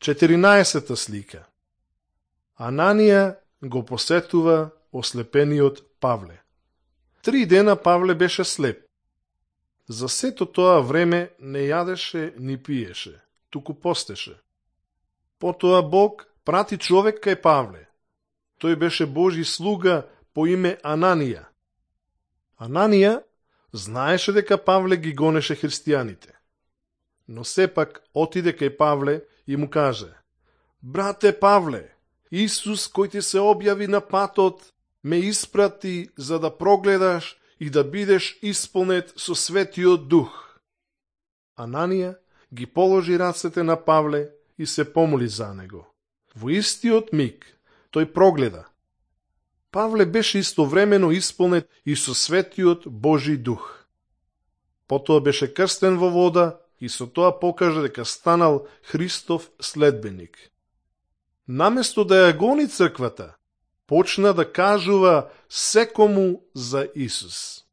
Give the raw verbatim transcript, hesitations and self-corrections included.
четиринаесета слика. Ананија го посетува ослепениот Павле. Три дена Павле беше слеп. За сето тоа време не јадеше ни пиеше, туку постеше. Потоа Бог прати човек кај Павле. Тој беше Божи слуга по име Ананија. Ананија знаеше дека Павле ги гонеше христијаните. Но сепак отиде кај Павле и му каже: Брате Павле, Исус кој ти се објави на патот ме испрати за да прогледаш и да бидеш исполнет со Светиот Дух. Ананија ги положи рацете на Павле и се помоли за него. Во истиот миг тој прогледа. Павле беше истовремено исполнет и со Светиот Божи Дух. Потоа беше крстен во вода и со тоа покажа дека станал Христов следбеник. Наместо да ја гони црквата, почна да кажува секому за Исус.